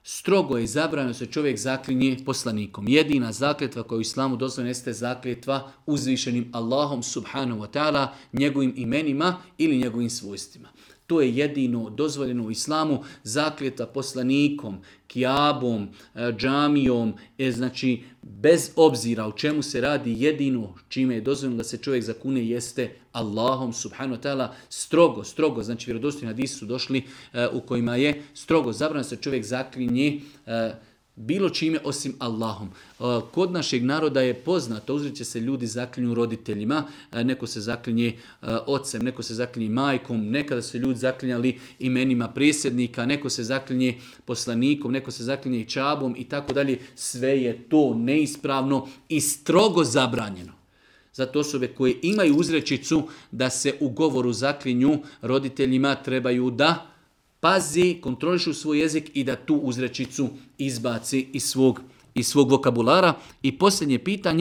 Strogo je zabranjeno se čovjek zaklinje poslanikom. Jedina zakletva koja u islamu dozvoljena jeste zakletva uzvišenim Allahom subhanahu wa ta'ala, njegovim imenima ili njegovim svojstvima. To je jedino dozvoljeno u islamu, zakletva poslanikom, kijabom, džamijom, znači bez obzira o čemu se radi, jedino čime je dozvoljeno da se čovjek zakune jeste Allahom subhanahu wa ta'ala, strogo, znači vjerodostojni hadisi su došli u kojima je strogo zabranjeno da se čovjek zaklinje bilo čime osim Allahom. Kod našeg naroda je poznato, uzreće se ljudi zaklinju roditeljima, neko se zaklinje ocem, neko se zaklinje majkom, nekada su ljudi zaklinjali imenima predsjednika, neko se zaklinje poslanikom, neko se zaklinje čabom i tako dalje. Sve je to neispravno i strogo zabranjeno. Zato osobe koje imaju uzrečicu da se u govoru zaklinju roditeljima trebaju da pazi, kontrolišu svoj jezik i da tu uzrečicu izbaci iz svog vokabulara. I posljednje pitanje.